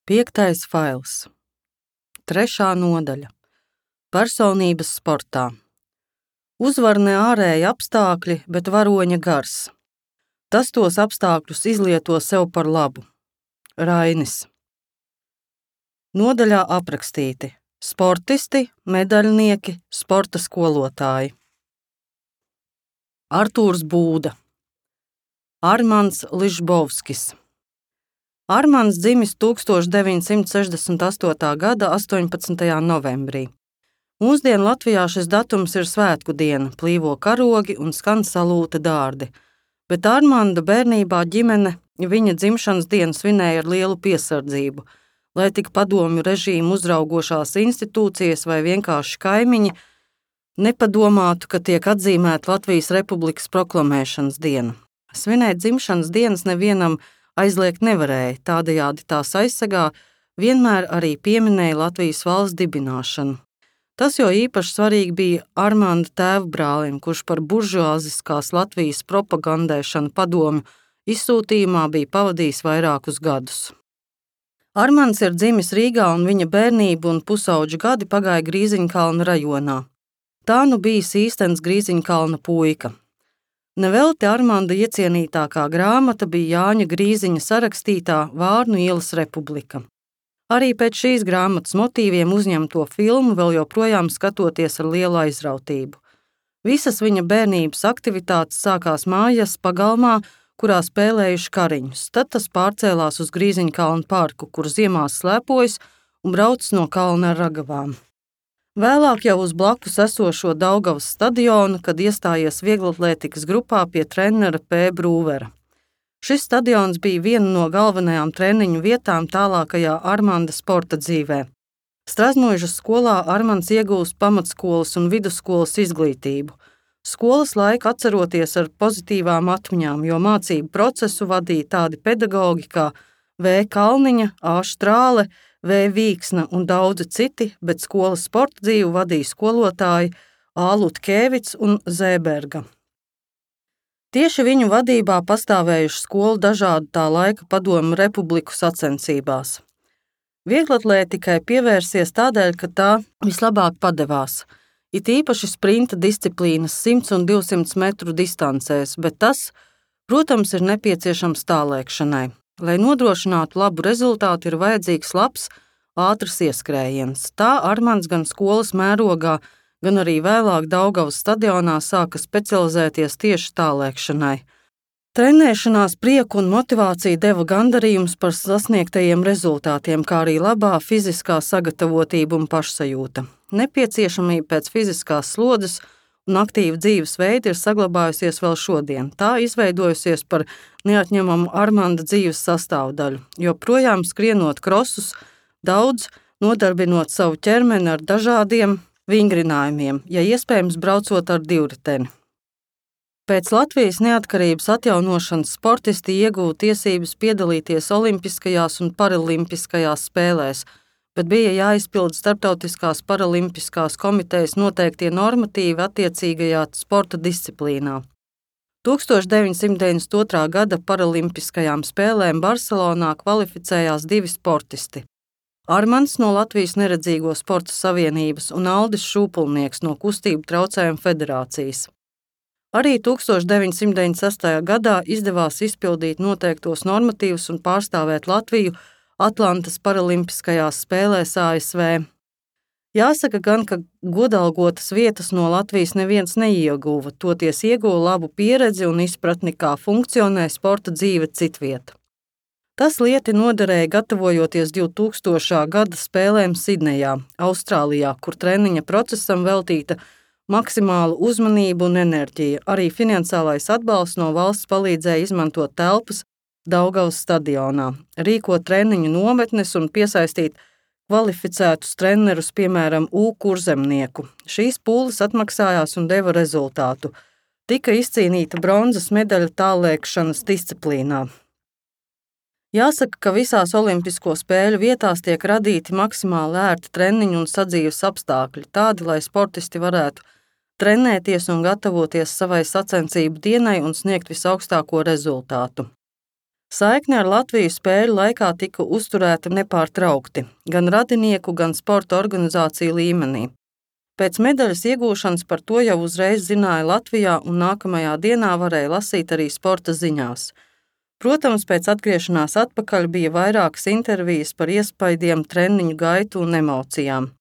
5. fails. 3. nodaļa. Personības sportā. Uzvar ne ārēji apstākļi, bet varoņa gars. Tas tos apstākļus izlieto sev par labu. Rainis. Nodaļā aprakstīti sportisti, medaļnieki, sporta skolotāji. Artūrs Būda. Armands Ližbovskis. Armands dzimis 1968. gada 18. novembrī. Mūsdien Latvijā šis datums ir svētku diena, plīvo karogi un skan salūta dārdi, bet Armanda bērnībā ģimene viņa dzimšanas dienu svinēja ar lielu piesardzību, lai tik padomju režīmu uzraugošās institūcijas vai vienkārši kaimiņi nepadomātu, ka tiek atzīmēta Latvijas Republikas proklamēšanas diena. Svinēt dzimšanas dienas nevienam aizliegt nevarēja, tādējādi tās aizsegā vienmēr arī pieminēja Latvijas valsts dibināšanu. Tas jo īpaši svarīgi bija Armanda tēvbrālim, kurš par buržuāziskās Latvijas propagandēšanu padomju izsūtījumā bija pavadījis vairākus gadus. Armands ir dzimis Rīgā un viņa bērnība un pusauģu gadi pagāja Grīziņkalna rajonā. Tā nu bijis īstens Grīziņkalna puika. Nevelti Armanda iecienītākā grāmata bija Jāņa Grīziņa sarakstītā Vārnu ielas republika. Arī pēc šīs grāmatas motīviem uzņemto filmu vēl joprojām skatoties ar lielu aizrautību. Visas viņa bērnības aktivitātes sākās mājas pagalmā, kurā spēlējuši kariņus. Tad tas pārcēlās uz Grīziņkalna parku, kur ziemās slēpojas un brauc no kalna ar ragavām. Vēlāk jau uz blakus esošo Daugavas stadionu, kad iestājies vieglatlētikas grupā pie trenera P. Brūvera. Šis stadions bija viena no galvenajām treniņu vietām tālākajā Armanda sporta dzīvē. Strazmuižas skolā Armands iegūst pamatskolas un vidusskolas izglītību. Skolas laiku atceroties ar pozitīvām atmiņām, jo mācību procesu vadīja tādi pedagogi kā V. Kalniņa, A. Štrāle, V. Vīksna un daudzi citi, bet skolas sporta dzīvi vadīja skolotāji A. Lutkēvits un Zēberga. Tieši viņu vadībā pastāvējuši skolu dažādu tā laika padomju republiku sacensībās. Vieglatlētikai pievērsies tādēļ, ka tā vislabāk padevās. It īpaši sprinta disciplīnas 100 un 200 metru distancēs, bet tas, protams, ir nepieciešams tālēkšanai. Lai nodrošinātu labu rezultātu, ir vajadzīgs labs, ātrs ieskrējiens. Tā Armands gan skolas mērogā, gan arī vēlāk Daugavas stadionā sāka specializēties tieši tālēkšanai. Trenēšanās prieku un motivāciju deva gandarījums par sasniegtajiem rezultātiem, kā arī labā fiziskā sagatavotība un pašsajūta. Nepieciešamība pēc fiziskās slodzes un aktīva dzīvesveida ir saglabājusies vēl šodien. Tā izveidojusies par neatņemamu Armanda dzīves sastāvdaļu, jo projām skrienot krosus, daudz nodarbinot savu ķermeni ar dažādiem vingrinājumiem, ja iespējams braucot ar divriteni. Pēc Latvijas neatkarības atjaunošanas sportisti ieguva tiesības piedalīties olimpiskajās un paralimpiskajās spēlēs, bet bija jāizpild Starptautiskās paralimpiskās komitejas noteiktie normatīvi attiecīgajā sporta disciplīnā. 1992. gada paralimpiskajām spēlēm Barcelonā kvalificējās 2 sportisti. Armands no Latvijas neredzīgo sporta savienības un Aldis Šūpulnieks no kustību traucējumu federācijas. Arī 1996. gadā izdevās izpildīt noteiktos normatīvus un pārstāvēt Latviju Atlantas paralimpiskajās spēlēs ASV. Jāsaka gan, ka godalgotas vietas no Latvijas neviens neieguva, toties ieguva labu pieredzi un izpratni, kā funkcionē sporta dzīve citvieta. Tas lieti noderēja gatavojoties 2000. gada spēlēm Sidnejā, Austrālijā, kur treniņa procesam veltīta maksimāla uzmanība un enerģija. Arī finansiālais atbalsts no valsts palīdzēja izmantot telpas Daugavas stadionā, rīkot treniņu nometnes un piesaistīt kvalificētus trenerus, piemēram, U. Kurzemnieku. Šīs pūles atmaksājās un deva rezultātu. Tika izcīnīta bronzas medaļa tālēkšanas disciplīnā. Jāsaka, ka visās olimpisko spēļu vietās tiek radīti maksimāli ērti treniņu un sadzīves apstākļi, tādi, lai sportisti varētu trenēties un gatavoties savai sacensību dienai un sniegt visaugstāko rezultātu. Saikne ar Latviju spēļu laikā tika uzturēta nepārtraukti, gan radinieku, gan sporta organizāciju līmenī. Pēc medaļas iegūšanas par to jau uzreiz zināja Latvijā, un nākamajā dienā varēja lasīt arī sporta ziņās. Protams, pēc atgriešanās atpakaļ bija vairākas intervijas par iespaidiem, treniņu gaitu un emocijām.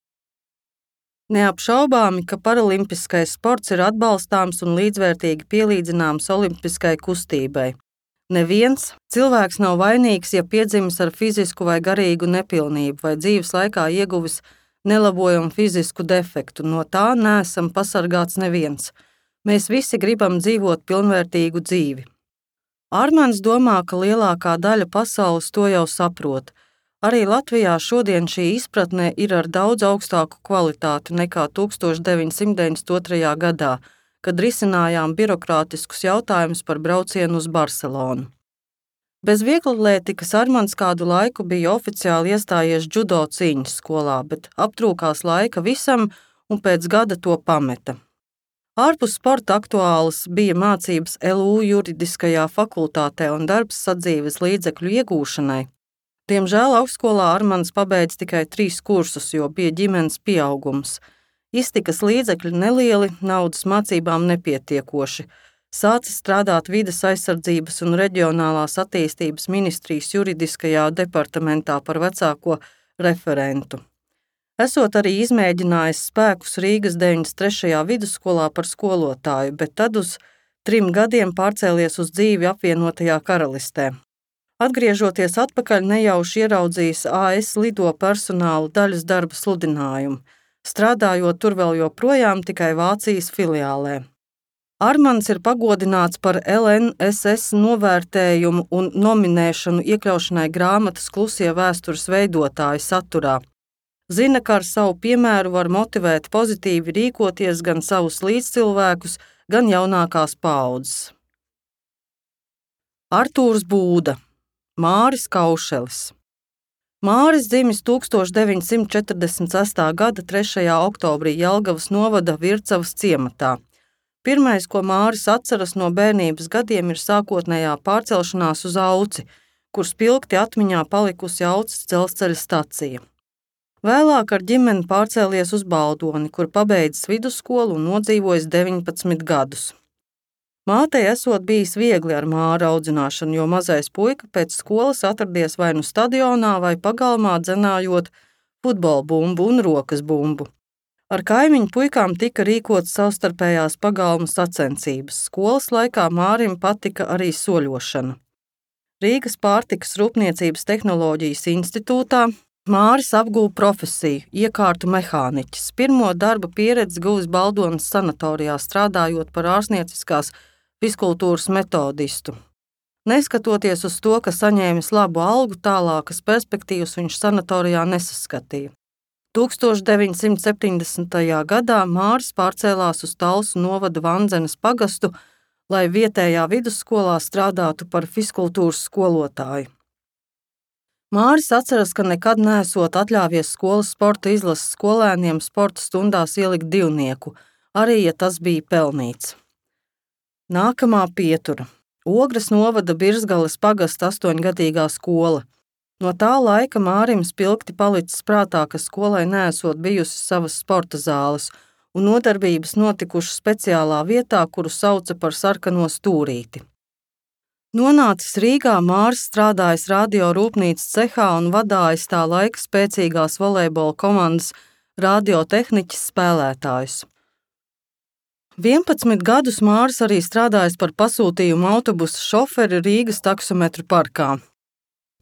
Neapšaubāmi, ka paralimpiskais sports ir atbalstāms un līdzvērtīgi pielīdzināms olimpiskai kustībai. Neviens cilvēks nav vainīgs, ja piedzimis ar fizisku vai garīgu nepilnību vai dzīves laikā ieguvis nelabojamu fizisku defektu. No tā neesam pasargāts neviens. Mēs visi gribam dzīvot pilnvērtīgu dzīvi. Armands domā, ka lielākā daļa pasaules to jau saprot. Arī Latvijā šodien šī izpratne ir ar daudz augstāku kvalitāti nekā 1992. gadā, kad risinājām birokrātiskus jautājumus par braucienu uz Barcelonu. Bez vieglatlētikas Armands kādu laiku bija oficiāli iestājies džudo cīņas skolā, bet aptrūkās laika visam un pēc gada to pameta. Ārpus sporta aktuālas bija mācības LU juridiskajā fakultātē un darbs sadzīves līdzekļu iegūšanai. Diemžēl augstskolā Armands pabeidz tikai 3 kursus, jo bija ģimenes pieaugums. Iztikas līdzekļi nelieli, naudas mācībām nepietiekoši. Sācis strādāt vides aizsardzības un reģionālās attīstības ministrijas juridiskajā departamentā par vecāko referentu. Esot arī izmēģinājis spēkus Rīgas 93. vidusskolā par skolotāju, bet tad uz 3 gadiem pārcēlies uz dzīvi apvienotajā karalistē. Atgriežoties atpakaļ, nejauši ieraudzījis AS lido personālu daļas darba sludinājumu, strādājot tur vēl joprojām tikai Vācijas filiālē. Armands ir pagodināts par LNSS novērtējumu un nominēšanu iekļaušanai grāmatas Klusie vēstures veidotāji saturā. Zina, ka ar savu piemēru var motivēt pozitīvi rīkoties gan savus līdzcilvēkus, gan jaunākās paaudzes. Artūrs Būda, Māris Kaušelis. Māris dzimis 1946. gada 3. oktobrī Jelgavas novada Vircavas ciematā. Pirmais, ko Māris atceras no bērnības gadiem, ir sākotnējā pārcelšanās uz Auci, kur spilgti atmiņā palikusi Auces dzelzceļa stacija. Vēlāk ar ģimeni pārcēlies uz Baldoni, kur pabeidzis vidusskolu un nodzīvojis 19 gadus. Mātei esot bijis viegli ar Māru audzināšanu, jo mazais puika pēc skolas atradies vai nu stadionā vai pagalmā dzenājot futbola bumbu un rokas bumbu. Ar kaimiņu puikām tika rīkotas savstarpējās pagalmu sacensības. Skolas laikā Mārim patika arī soļošana. Rīgas pārtikas rūpniecības tehnoloģijas institūtā Māris apguva profesiju, iekārtu mehāniķis. Pirmo darba pieredzi guvis Baldonas sanatorijā, strādājot par ārstnieciskās fiskultūras metodistu. Neskatoties uz to, ka saņēmis labu algu, tālākas perspektīvas viņš sanatorijā nesaskatīja. 1970. gadā Māris pārcēlās uz Talsu novada Vandzenes pagastu, lai vietējā vidusskolā strādātu par fiskultūras skolotāju. Māris atceras, ka nekad neesot atļāvies skolas sporta izlases skolēniem sporta stundās ielikt divnieku, arī ja tas bija pelnīts. Nākamā pietura – Ogres novada Birzgales pagasta 8-gadīgā skola. No tā laika Mārim spilgti palicis prātā, ka skolai neesot bijusi savas sporta zāles, un nodarbības notikušas speciālā vietā, kuru sauca par sarkano stūrīti. Nonācis Rīgā, Māris strādājis radio rūpnīcas cehā un vadājis tā laika spēcīgās volejbola komandas radiotehniķis spēlētājus. 11 gadus Māris arī strādājis par pasūtījumu autobusu šoferi Rīgas taksometru parkā.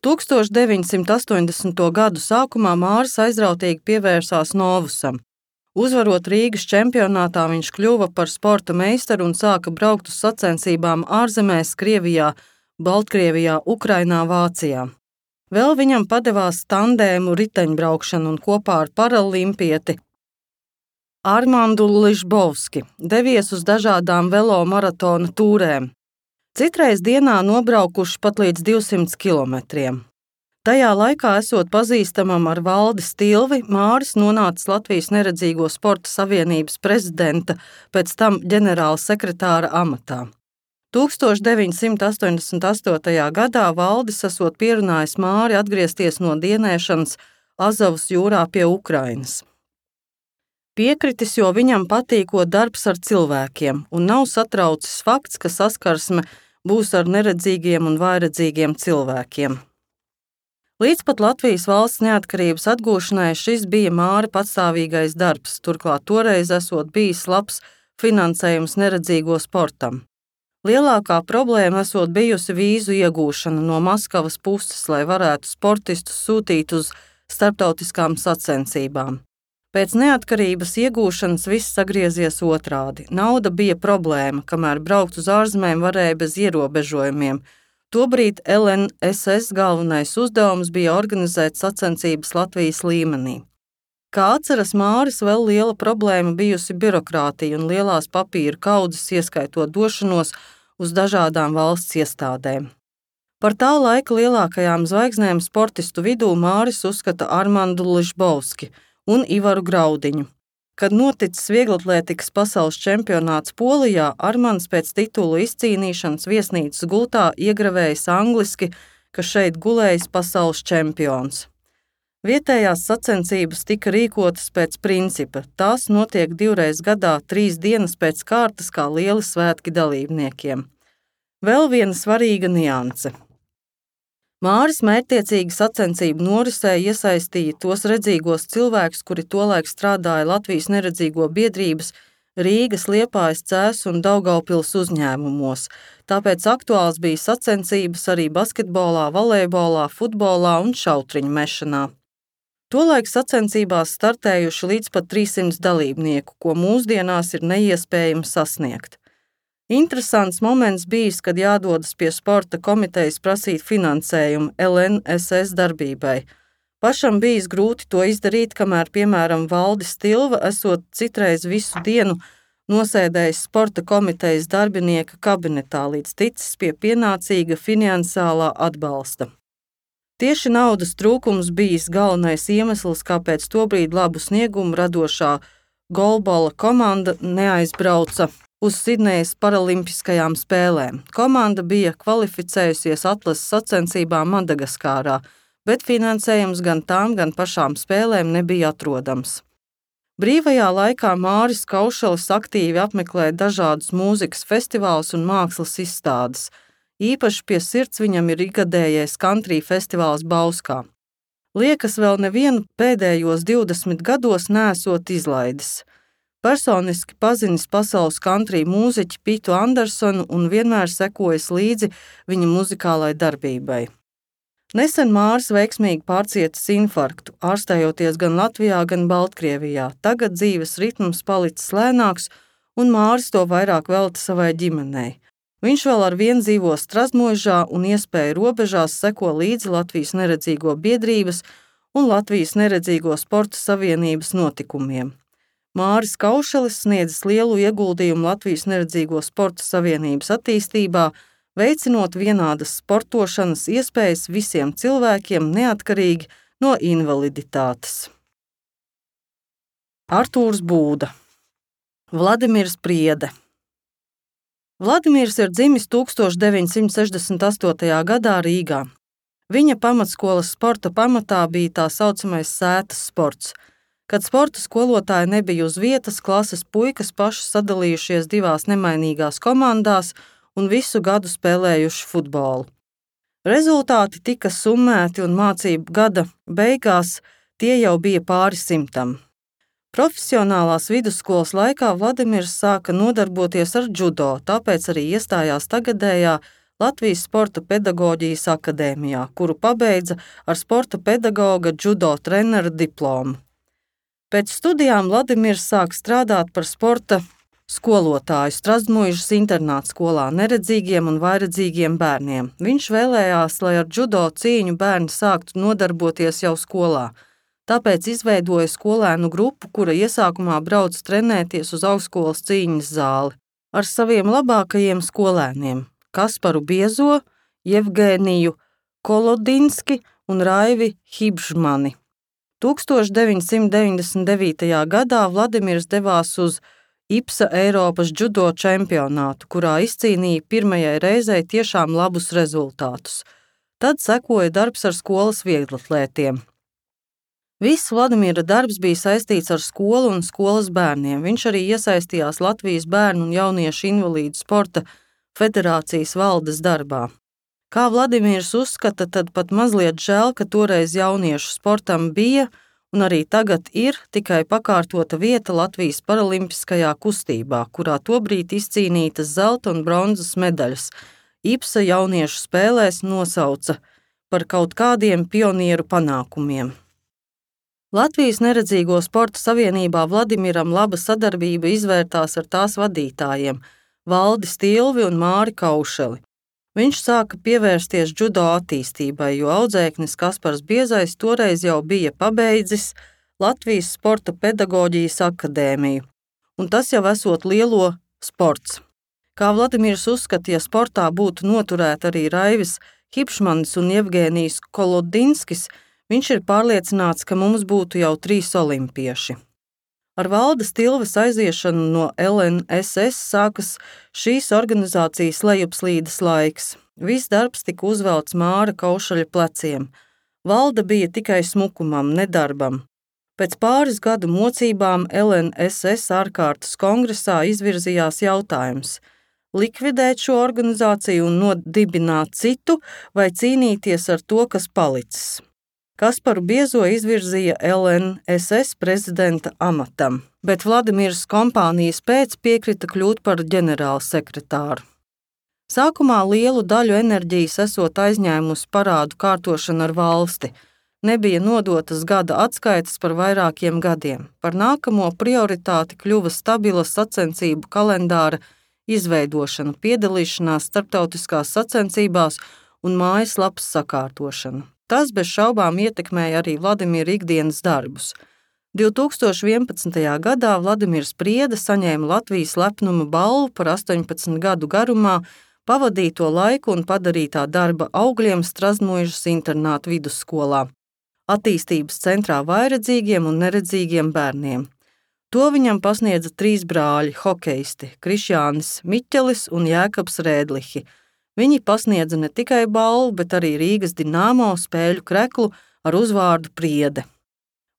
1980. gadu sākumā Māris aizrautīgi pievērsās novusam. Uzvarot Rīgas čempionātā, viņš kļuva par sporta meistaru un sāka braukt uz sacensībām ārzemēs, Krievijā, Baltkrievijā, Ukrainā, Vācijā. Vēl viņam padevās tandēmu riteņbraukšanu un kopā ar paralimpieti Armandu Ližbovski devies uz dažādām velomaratona tūrēm. Citreiz dienā nobraukuši pat līdz 200 kilometriem. Tajā laikā, esot pazīstamam ar Valdi Stilvi, Māris nonācis Latvijas Neredzīgo sporta savienības prezidenta, pēc tam ģenerāla sekretāra amatā. 1988. gadā valdis esot pierunājis Māri atgriezties no dienēšanas Azovas jūrā pie Ukrainas. Piekritis, jo viņam patīkot darbs ar cilvēkiem un nav satraucis fakts, ka saskarsme būs ar neredzīgiem un vājredzīgiem cilvēkiem. Līdz pat Latvijas valsts neatkarības atgūšanai šis bija Māra patstāvīgais darbs, turklāt toreiz esot bijis labs finansējums neredzīgo sportam. Lielākā problēma esot bijusi vīzu iegūšana no Maskavas puses, lai varētu sportistus sūtīt uz starptautiskām sacensībām. Pēc neatkarības iegūšanas viss sagriezies otrādi. Nauda bija problēma, kamēr braukt uz ārzemēm varēja bez ierobežojumiem. Tobrīd LNSS galvenais uzdevums bija organizēt sacensības Latvijas līmenī. Kā atceras Māris, vēl liela problēma bijusi birokrātija un lielās papīra kaudzes, ieskaitot došanos uz dažādām valsts iestādēm. Par tā laika lielākajām zvaigznēm sportistu vidū Māris uzskata Armandu Ližbovski un Ivaru Graudiņu. Kad noticis vieglatlētikas pasaules čempionāts Polijā, Armands pēc titulu izcīnīšanas viesnīcas gultā iegravējis angliski, ka šeit gulējis pasaules čempions. Vietējās sacensības tika rīkotas pēc principa. Tās notiek 2 reizes gadā, 3 dienas pēc kārtas kā lieli svētki dalībniekiem. Vēl viena svarīga nianse. Māris mērķtiecīgi sacensību norisē iesaistīja tos redzīgos cilvēkus, kuri tolaik strādāja Latvijas neredzīgo biedrības, Rīgas, Liepājas, Cēsu un Daugavpils uzņēmumos. Tāpēc aktuāls bija sacensības arī basketbolā, volejbolā, futbolā un šautriņu mešanā. Tolaik sacensībās startējuši līdz pat 300 dalībnieku, ko mūsdienās ir neiespējami sasniegt. Interesants moments bijis, kad jādodas pie sporta komitejas prasīt finansējumu LNSS darbībai. Pašam bijis grūti to izdarīt, kamēr, piemēram, Valdis Tilva esot citreiz visu dienu nosēdējis sporta komitejas darbinieka kabinetā, līdz ticis pie pienācīga finansiālā atbalsta. Tieši naudas trūkums bijis galvenais iemesls, kāpēc tobrīd labu sniegumu radošā golbola komanda neaizbrauca uz Sidnejas paralimpiskajām spēlēm. Komanda bija kvalificējusies atlases sacensībām Madagaskārā, bet finansējums gan tām, gan pašām spēlēm nebija atrodams. Brīvajā laikā Māris Kaušelis aktīvi apmeklē dažādus mūzikas festivālus un mākslas izstādes. Īpaši pie sirds viņam ir ikgadējais country festivāls Bauskā. Liekas, vēl nevienu pēdējos 20 gados neesot izlaidis. Personiski pazinis pasaules country mūziķi Pitu Andersonu un vienmēr sekojis līdzi viņa muzikālai darbībai. Nesen Māris veiksmīgi pārcietis infarktu, ārstējoties gan Latvijā, gan Baltkrievijā. Tagad dzīves ritms palicis lēnāks, un Māris to vairāk velta savai ģimenei. Viņš vēl ar vienu dzīvo Strazdmuižā un iespēju robežās seko līdzi Latvijas neredzīgo biedrības un Latvijas neredzīgo sporta savienības notikumiem. Māris Kaušelis sniedzis lielu ieguldījumu Latvijas neredzīgo sporta savienības attīstībā, veicinot vienādas sportošanas iespējas visiem cilvēkiem neatkarīgi no invaliditātes. Artūrs Būda. Vladimirs Priede. Vladimirs ir dzimis 1968. gadā Rīgā. Viņa pamatskolas sporta pamatā bija tā saucamais sētas sports. Kad sporta skolotāji nebija uz vietas, klases puikas paši sadalījušies 2 nemainīgās komandās un visu gadu spēlējuši futbolu. Rezultāti tika summēti un mācību gada beigās tie jau bija pāri 100. Profesionālās vidusskolas laikā Vladimirs sāka nodarboties ar džudo, tāpēc arī iestājās tagadējā Latvijas Sporta pedagoģijas akadēmijā, kuru pabeidza ar sporta pedagoga džudo trenera diplomu. Pēc studijām Vladimirs sāk strādāt par sporta skolotāju Strazdmuižas internāta skolā neredzīgiem un vājredzīgiem bērniem. Viņš vēlējās, lai ar džudo cīņu bērni sāktu nodarboties jau skolā. Tāpēc izveidoja skolēnu grupu, kura iesākumā brauc trenēties uz augstskolas cīņas zāli ar saviem labākajiem skolēniem – Kasparu Biezo, Jevgēniju Kolodinski un Raivi Hibžmani. 1999. gadā Vladimirs devās uz IPSA Eiropas džudo čempionātu, kurā izcīnīja pirmajai reizei tiešām labus rezultātus. Tad sekoja darbs ar skolas vieglatlētiem. Viss Vladimira darbs bija saistīts ar skolu un skolas bērniem. Viņš arī iesaistījās Latvijas bērnu un jauniešu invalīdu sporta federācijas valdes darbā. Kā Vladimirs uzskata, tad pat mazliet žēl, ka toreiz jauniešu sportam bija un arī tagad ir tikai pakārtota vieta Latvijas paralimpiskajā kustībā, kurā tobrīd izcīnītas zelta un bronzas medaļas. IPSA jauniešu spēlēs nosauca par kaut kādiem pionieru panākumiem. Latvijas Neredzīgo sporta savienībā Vladimiram laba sadarbība izvērtās ar tās vadītājiem Valdi Stilvi un Māri Kaušeli. Viņš sāka pievērsties džudo attīstībai, jo audzēknis Kaspars Biezais toreiz jau bija pabeidzis Latvijas Sporta pedagoģijas akadēmiju, un tas jau esot lielo sports. Kā Vladimirs uzskata, ja sportā būtu noturēti arī Raivis Hipšmanis un Jevgēnijs Kolodinskis, viņš ir pārliecināts, ka mums būtu jau 3 olimpieši. Ar Valda Stilves aiziešanu no LNSS sākas šīs organizācijas lejupslīdes laiks. Viss darbs tika uzvelts Māra Kaušaļa pleciem. Valda bija tikai smukumam, nedarbam. Pēc pāris gadu mocībām LNSS ārkārtas kongresā izvirzījās jautājums – likvidēt šo organizāciju un nodibināt citu vai cīnīties ar to, kas palicis. Kasparu Biezo izvirzīja LNSS prezidenta amatam, bet Vladimirs kompānijas pēc piekrita kļūt par ģenerālsekretāru. Sākumā lielu daļu enerģijas esot aizņēmusi parādu kārtošana ar valsti. Nebija nodotas gada atskaites par vairākiem gadiem. Par nākamo prioritāti kļuva stabila sacensību kalendāra izveidošana, piedalīšanās starptautiskās sacensībās un mājaslapas sakārtošana. Tas bez šaubām ietekmēja arī Vladimira ikdienas darbus. 2011. gadā Vladimirs Priede saņēma Latvijas lepnuma balvu par 18 gadu garumā pavadīto laiku un padarītā darba augļiem Strazdmuižas internāta vidusskolā, attīstības centrā vājredzīgiem un neredzīgiem bērniem. To viņam pasniedza 3 brāļi hokeisti – Krišjānis Miķelis un Jēkabs Rēdlihi. Viņi pasniedza ne tikai balvu, bet arī Rīgas Dinamo spēļu kreklu ar uzvārdu Priede.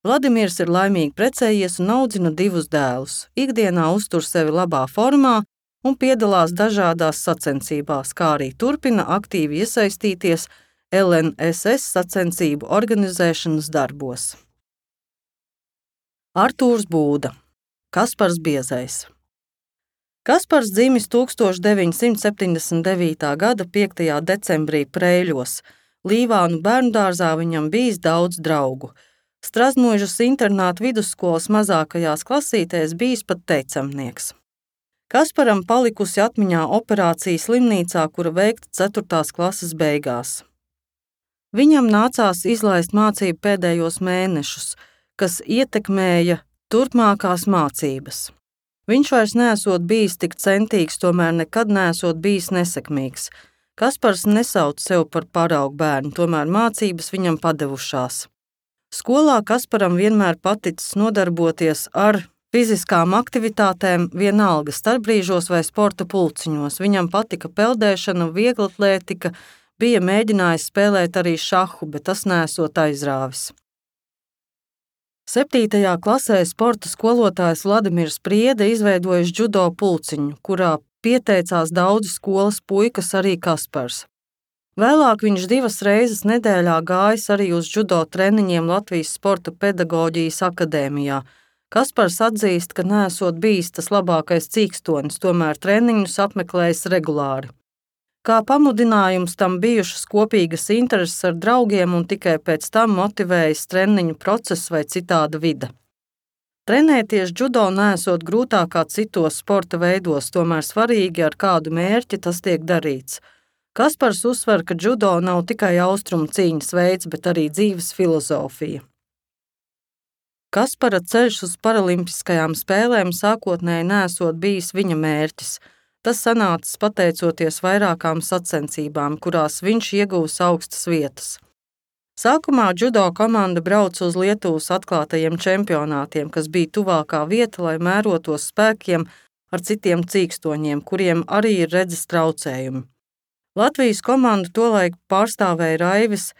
Vladimirs ir laimīgi precējies un audzina 2 dēlus. Ikdienā uztur sevi labā formā un piedalās dažādās sacensībās, kā arī turpina aktīvi iesaistīties LNSS sacensību organizēšanas darbos. Artūrs Būda, Kaspars Biezais. Kaspars dzimis 1979. gada 5. decembrī Preiļos. Līvānu bērndārzā viņam bijis daudz draugu. Strazdmuižas internāta vidusskolas mazākajās klasītēs bijis pat teicamnieks. Kasparam palikusi atmiņā operācija slimnīcā, kura veikta 4. klases beigās. Viņam nācās izlaist mācību pēdējos mēnešus, kas ietekmēja turpmākās mācības. Viņš vairs neesot bijis tik centīgs, tomēr nekad neesot bijis nesekmīgs. Kaspars nesauc sev par paraugu bērnu, tomēr mācības viņam padevušās. Skolā Kasparam vienmēr paticis nodarboties ar fiziskām aktivitātēm, vienalga starpbrīžos vai sporta pulciņos. Viņam patika peldēšana, vieglatlētika, bija mēģinājis spēlēt arī šahu, bet tas neesot aizrāvis. 7. klasē sporta skolotājs Vladimirs Priede izveidojis džudo pulciņu, kurā pieteicās daudzi skolas puikas, arī Kaspars. Vēlāk viņš 2 reizes nedēļā gājis arī uz džudo treniņiem Latvijas Sporta pedagoģijas akadēmijā. Kaspars atzīst, ka neesot bijis tas labākais cīkstonis, tomēr treniņus apmeklējis regulāri. Kā pamudinājums tam bijušas kopīgas intereses ar draugiem un tikai pēc tam motivējis treniņu procesu vai citāda vide. Trenēties džudo neesot grūtāk kā citos sporta veidos, tomēr svarīgi ar kādu mērķi tas tiek darīts. Kaspars uzsver, ka džudo nav tikai austrumu cīņas veids, bet arī dzīves filozofija. Kaspara ceļš uz paralimpiskajām spēlēm sākotnēji neesot bijis viņa mērķis. Tas sanācis pateicoties vairākām sacensībām, kurās viņš ieguvis augstas vietas. Sākumā džudo komanda brauca uz Lietuvas atklātajiem čempionātiem, kas bija tuvākā vieta, lai mērotos spēkiem ar citiem cīkstoņiem, kuriem arī ir redzes traucējumi. Latvijas komandu tolaik pārstāvēja Raivis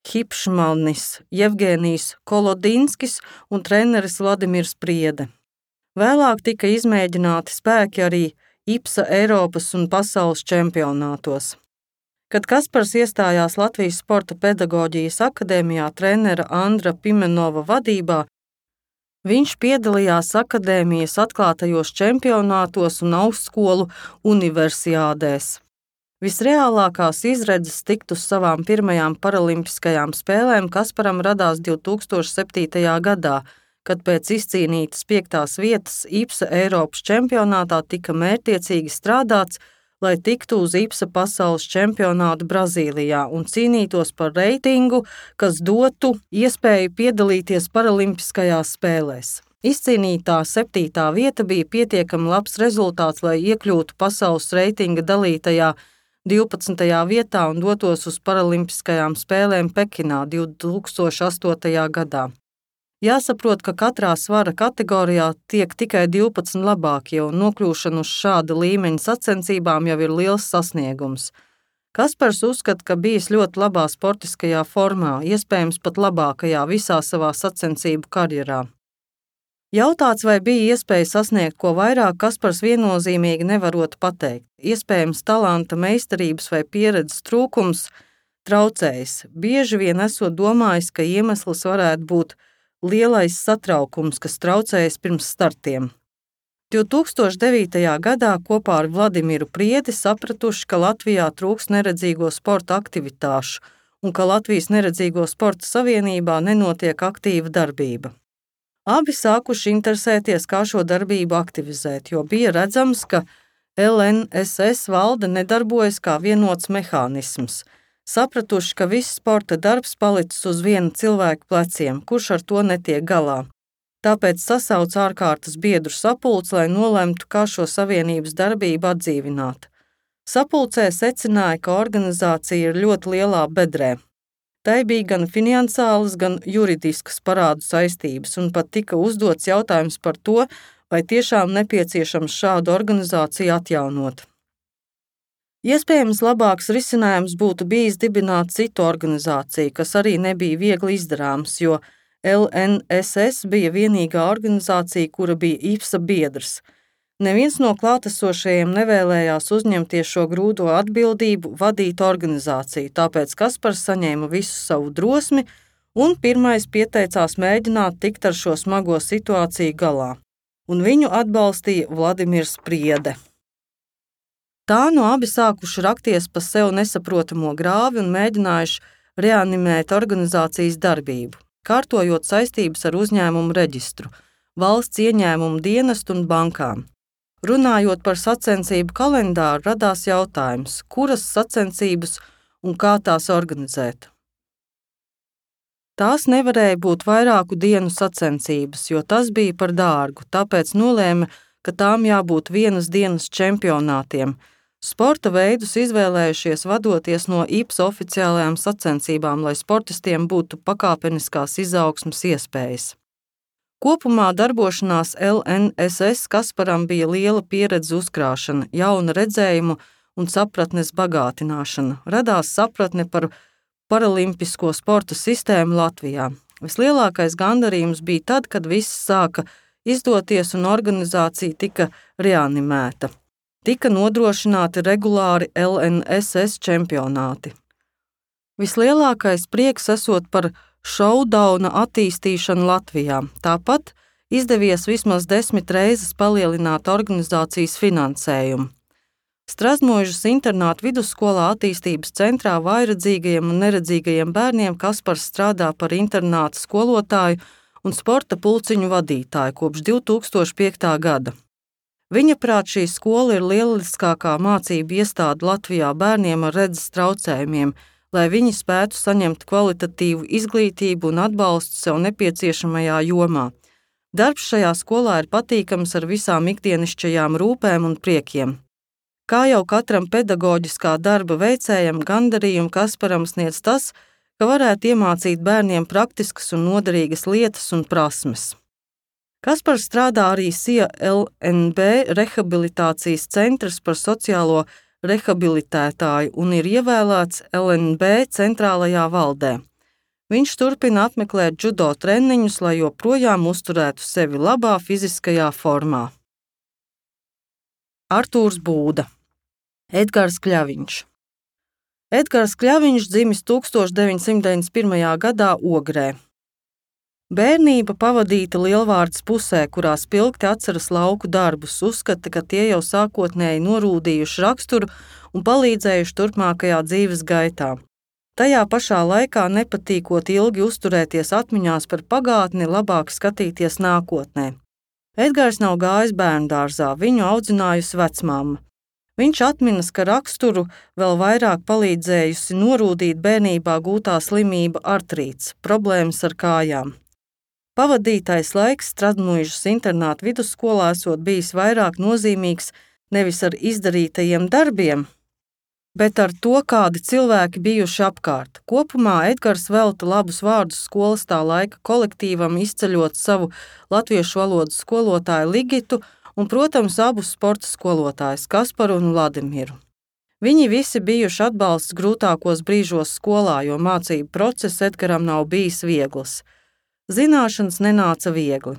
Hipšmanis, Jevgenijs Kolodinskis un treneris Vladimirs Priede. Vēlāk tika izmēģināti spēki arī IPSA Eiropas un pasaules čempionātos. Kad Kaspars iestājās Latvijas Sporta pedagoģijas akadēmijā trenera Andra Pimenova vadībā, viņš piedalījās akadēmijas atklātajos čempionātos un augstskolu universiādēs. Visreālākās izredzes tikt uz savām pirmajām paralimpiskajām spēlēm Kasparam radās 2007. gadā, kad pēc izcīnītas 5. vietas IPSA Eiropas čempionātā tika mērķtiecīgi strādāts, lai tiktu uz IPSA pasaules čempionātu Brazīlijā un cīnītos par reitingu, kas dotu iespēju piedalīties paralimpiskajās spēlēs. Izcīnītā 7. vieta bija pietiekami labs rezultāts, lai iekļūtu pasaules reitinga dalītajā 12. vietā un dotos uz paralimpiskajām spēlēm Pekinā 2008. gadā. Jāsaprot, ka katrā svara kategorijā tiek tikai 12 labākie, un nokļūšana uz šāda līmeņa sacensībām jau ir liels sasniegums. Kaspars uzskata, ka bijis ļoti labā sportiskajā formā, iespējams pat labākajā visā savā sacensību karjerā. Jautāts, vai bija iespēja sasniegt ko vairāk, Kaspars viennozīmīgi nevarot pateikt. Iespējams, talanta, meistarības vai pieredzes trūkums traucējis. Bieži vien esot domājis, ka iemesls varētu būt lielais satraukums, kas traucējas pirms startiem. 2009. gadā kopā ar Vladimiru Priedi sapratuši, ka Latvijā trūks neredzīgo sporta aktivitāšu un ka Latvijas Neredzīgo sporta savienībā nenotiek aktīva darbība. Abi sākuši interesēties, kā šo darbību aktivizēt, jo bija redzams, ka LNSS valde nedarbojas kā vienots mehānisms. Sapratuši, ka viss sporta darbs palicis uz viena cilvēka pleciem, kurš ar to netiek galā. Tāpēc sasauc ārkārtas biedru sapulci, lai nolemtu, kā šo savienības darbību atdzīvināt. Sapulcē secināja, ka organizācija ir ļoti lielā bedrē. Tai bija gan finansiālas, gan juridiskas parādu saistības, un pat tika uzdots jautājums par to, vai tiešām nepieciešams šādu organizāciju atjaunot. Iespējams, labāks risinājums būtu bijis dibināt citu organizāciju, kas arī nebija viegli izdarāms, jo LNSS bija vienīgā organizācija, kura bija IPSA biedrs. Neviens no klātesošajiem nevēlējās uzņemties šo grūto atbildību vadīt organizāciju, tāpēc Kaspars saņēma visu savu drosmi un pirmais pieteicās mēģināt tikt ar šo smago situāciju galā. Un viņu atbalstīja Vladimirs Priede. Tā nu abi sākuši rakties pa sev nesaprotamo grāvi un mēģinājuši reanimēt organizācijas darbību, kārtojot saistības ar uzņēmumu reģistru, valsts ieņēmumu dienestu un bankām. Runājot par sacensību kalendāru, radās jautājums, kuras sacensības un kā tās organizēt. Tās nevarēja būt vairāku dienu sacensības, jo tas bija par dārgu, tāpēc nolēma, ka tām jābūt vienas dienas čempionātiem. Sporta veidus izvēlējušies vadoties no IPSA oficiālajām sacensībām, lai sportistiem būtu pakāpeniskās izaugsmes iespējas. Kopumā darbošanās LNSS Kasparam bija liela pieredze uzkrāšana, jauna redzējuma un sapratnes bagātināšana. Radās sapratne par paralimpisko sporta sistēmu Latvijā. Vislielākais gandarījums bija tad, kad viss sāka izdoties un organizācija tika reanimēta. Tika nodrošināti regulāri LNSS čempionāti. Vislielākais prieks esot par šaudauna attīstīšanu Latvijā. Tāpat izdevies vismaz 10 reizes palielināt organizācijas finansējumu. Strazdmožas internātu vidusskolā attīstības centrā vājredzīgajiem un neredzīgajiem bērniem Kaspars strādā par internāta skolotāju un sporta pulciņu vadītāju kopš 2005. gada. Viņa prāt šī skola ir lieliskākā mācību iestāde Latvijā bērniem ar redzes traucējumiem, lai viņi spētu saņemt kvalitatīvu izglītību un atbalstu sev nepieciešamajā jomā. Darbs šajā skolā ir patīkams ar visām ikdienišķajām rūpēm un priekiem. Kā jau katram pedagoģiskā darba veicējam, gandarījumu Kasparam sniedz tas, ka varētu iemācīt bērniem praktiskas un noderīgas lietas un prasmes. Kaspars strādā arī SIA LNB rehabilitācijas centrs par sociālo rehabilitētāju un ir ievēlēts LNB centrālajā valdē. Viņš turpina apmeklēt džudo treniņus, lai joprojām uzturētu sevi labā fiziskajā formā. Artūrs Būda. Edgars Kļaviņš. Edgars Kļaviņš dzimis 1991. gadā Ogrē. Bērnība pavadīta Lielvārdes pusē, kurā spilgti atceras lauku darbus, uzskata, ka tie jau sākotnēji norūdījuši raksturu un palīdzējuši turpmākajā dzīves gaitā. Tajā pašā laikā nepatīkot ilgi uzturēties atmiņās par pagātni, labāk skatīties nākotnē. Edgars nav gājis bērndārzā, viņu audzinājusi vecmamma. Viņš atminas, ka raksturu vēl vairāk palīdzējusi norūdīt bērnībā gūtā slimība artrīts, problēmas ar kājām. Pavadītais laiks Stradmuižas internāta vidusskolā esot bijis vairāk nozīmīgs nevis ar izdarītajiem darbiem, bet ar to, kādi cilvēki bijuši apkārt. Kopumā Edgars velta labus vārdus skolas tā laika kolektīvam, izceļot savu latviešu valodas skolotāju Ligitu un, protams, abus sporta skolotājus Kasparu un Vladimiru. Viņi visi bijuši atbalsts grūtākos brīžos skolā, jo mācību process Edgaram nav bijis viegls. Zināšanas nenāca viegli.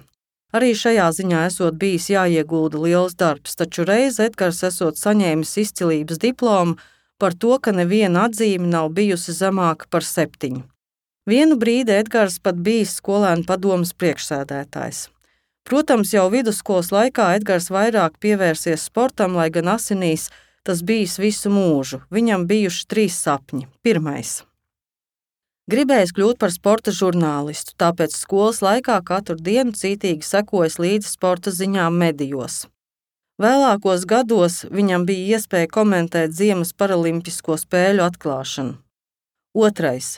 Arī šajā ziņā esot bijis jāiegulda liels darbs, taču reiz Edgars esot saņēmis izcilības diplomu par to, ka neviena atzīme nav bijusi zemāka par 7. Vienu brīdi Edgars pat bijis skolēnu padomes priekšsēdētājs. Protams, jau vidusskolas laikā Edgars vairāk pievērsies sportam, lai gan asinīs tas bijis visu mūžu. Viņam bijuši 3 sapņi. Pirmais. Gribējis kļūt par sporta žurnālistu, tāpēc skolas laikā katru dienu cītīgi sekojis līdzi sporta ziņām medijos. Vēlākos gados viņam bija iespēja komentēt ziemas paralimpisko spēļu atklāšanu. Otrais.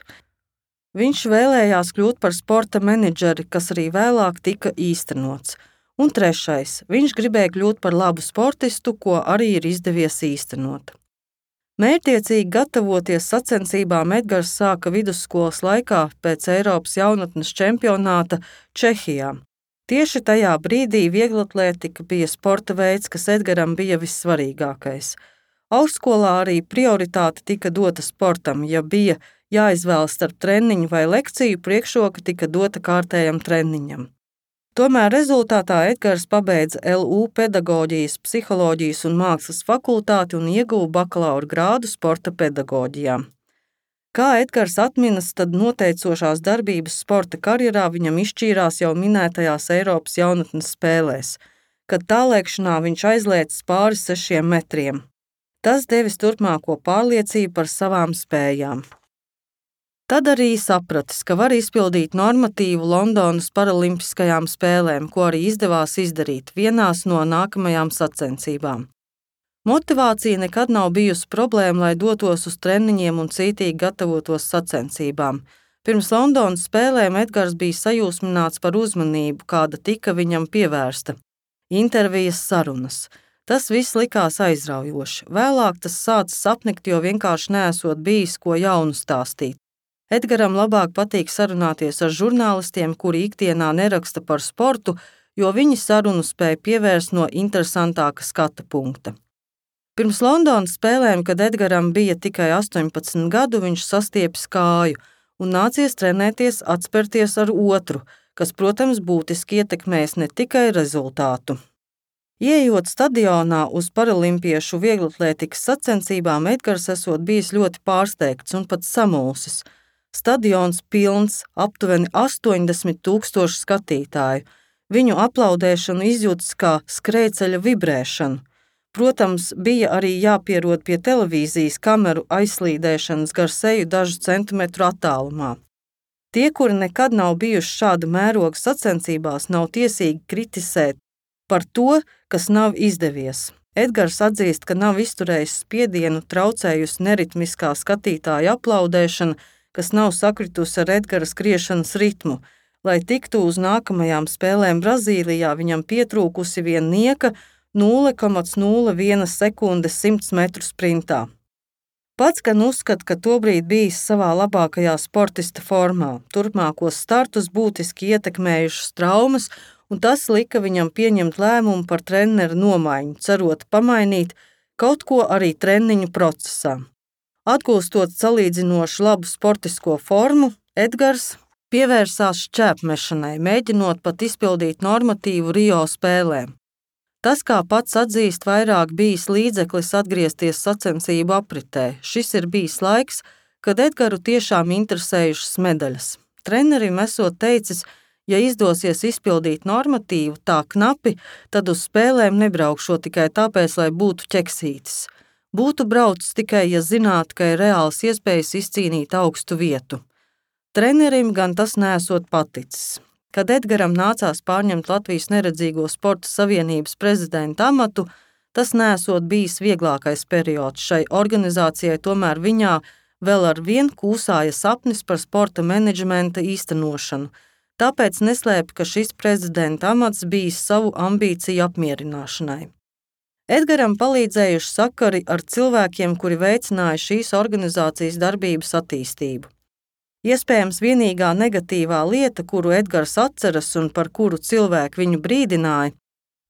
Viņš vēlējās kļūt par sporta menedžeri, kas arī vēlāk tika īstenots. Un trešais. Viņš gribēja kļūt par labu sportistu, ko arī ir izdevies īstenot. Mērķtiecīgi gatavoties sacensībām Edgars sāka vidusskolas laikā pēc Eiropas jaunatnes čempionāta Čehijā. Tieši tajā brīdī vieglatlētika bija sporta veids, kas Edgaram bija vissvarīgākais. Augstskolā arī prioritāte tika dota sportam, ja bija jāizvēlas starp treniņu vai lekciju, priekšroka tika dota kārtējam treniņam. Tomēr rezultātā Edgars pabeidza LU pedagoģijas, psiholoģijas un mākslas fakultāti un ieguva bakalaura grādu sporta pedagoģijā. Kā Edgars atminas, tad noteicošās darbības sporta karjerā viņam izšķīrās jau minētajās Eiropas jaunatnes spēlēs, kad tālēkšanā viņš aizlēcis pāri 6 metriem. Tas devis turpmāko pārliecību par savām spējām. Tad arī sapratis, ka var izpildīt normatīvu Londonas paralimpiskajām spēlēm, ko arī izdevās izdarīt vienās no nākamajām sacensībām. Motivācija nekad nav bijusi problēma, lai dotos uz treniņiem un cītīgi gatavotos sacensībām. Pirms Londonas spēlēm Edgars bija sajūsmināts par uzmanību, kāda tika viņam pievērsta. Intervijas, sarunas. Tas viss likās aizraujoši. Vēlāk tas sācis apnikt, jo vienkārši neesot bijis ko jaunu stāstīt. Edgaram labāk patīk sarunāties ar žurnālistiem, kuri ikdienā neraksta par sportu, jo viņi sarunu spēja pievērst no interesantāka skata punkta. Pirms Londonas spēlēm, kad Edgaram bija tikai 18 gadu, viņš sastiepis kāju un nācies trenēties atspērties ar otru, kas, protams, būtiski ietekmēs ne tikai rezultātu. Ieejot stadionā uz paralimpiešu vieglatlētikas sacensībām, Edgars esot bijis ļoti pārsteigts un pat samulsis. Stadions pilns, aptuveni 80,000 skatītāju. Viņu aplaudēšanu izjūtas kā skrejceļa vibrēšanu. Protams, bija arī jāpierod pie televīzijas kameru aizslīdēšanas gar seju dažu centimetru attālumā. Tie, kuri nekad nav bijuši šāda mēroga sacensībās, nav tiesīgi kritisēt par to, kas nav izdevies. Edgars atzīst, ka nav izturējis spiedienu, traucējusi neritmiskā skatītāja aplaudēšana, kas nav sakritusi ar Edgara skriešanas ritmu. Lai tiktu uz nākamajām spēlēm Brazīlijā, viņam pietrūkusi vien nieka 0,01 sekunde 100 metru sprintā. Pats gan uzskata, ka tobrīd bijis savā labākajā sportista formā. Turpmākos startus būtiski ietekmējušas traumas un tas lika viņam pieņemt lēmumu par treneru nomaiņu, cerot pamainīt kaut ko arī treniņu procesā. Atgūstot salīdzinoši labu sportisko formu, Edgars pievērsās šķēpmešanai, mēģinot pat izpildīt normatīvu Rio spēlēm. Tas, kā pats atzīst, vairāk bijis līdzeklis atgriezties sacensību apritē. Šis ir bijis laiks, kad Edgaru tiešām interesējušas medaļas. Trenerim esot teicis, ja izdosies izpildīt normatīvu tā knapi, tad uz spēlēm nebraukšot tikai tāpēc, lai būtu ķeksītis. Būtu braucis tikai, ja zinātu, ka ir reāls iespējas izcīnīt augstu vietu. Trenerim gan tas nesot paticis. Kad Edgaram nācās pārņemt Latvijas neredzīgo sporta savienības prezidenta amatu, tas nesot bijis vieglākais periods. Šai organizācijai tomēr viņā vēl ar vien kūsāja sapnis par sporta menedžmenta īstenošanu. Tāpēc neslēpa, ka šis prezidenta amats bijis savu ambīciju apmierināšanai. Edgaram palīdzējuši sakari ar cilvēkiem, kuri veicināja šīs organizācijas darbības attīstību. Iespējams, vienīgā negatīvā lieta, kuru Edgars atceras un par kuru cilvēki viņu brīdināja,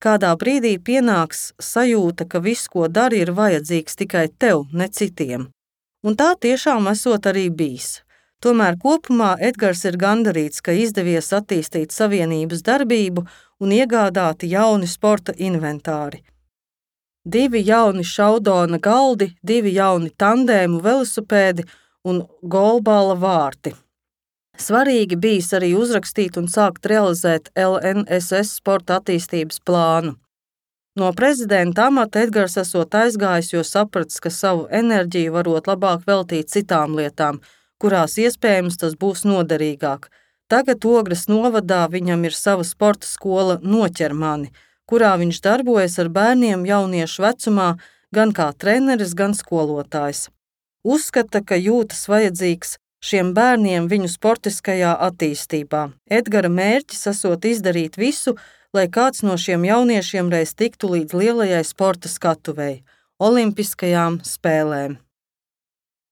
kādā brīdī pienāks sajūta, ka viss, ko dari, ir vajadzīgs tikai tev, ne citiem. Un tā tiešām esot arī bijis. Tomēr kopumā Edgars ir gandarīts, ka izdevies attīstīt savienības darbību un iegādāti jauni sporta inventāri. 2 jauni šaudona galdi, 2 jauni tandēmu velosipēdi un golbala vārti. Svarīgi bijis arī uzrakstīt un sākt realizēt LNSS sporta attīstības plānu. No prezidenta amata Edgars esot aizgājis, jo sapratis, ka savu enerģiju varot labāk veltīt citām lietām, kurās iespējams tas būs noderīgāk. Tagad Ogres novadā viņam ir sava sporta skola Noķer mani, kurā viņš darbojas ar bērniem jauniešu vecumā gan kā treneris, gan skolotājs. Uzskata, ka jūtas vajadzīgs šiem bērniem viņu sportiskajā attīstībā. Edgara mērķis esot izdarīt visu, lai kāds no šiem jauniešiem reiz tiktu līdz lielajai sporta skatuvei – olimpiskajām spēlēm.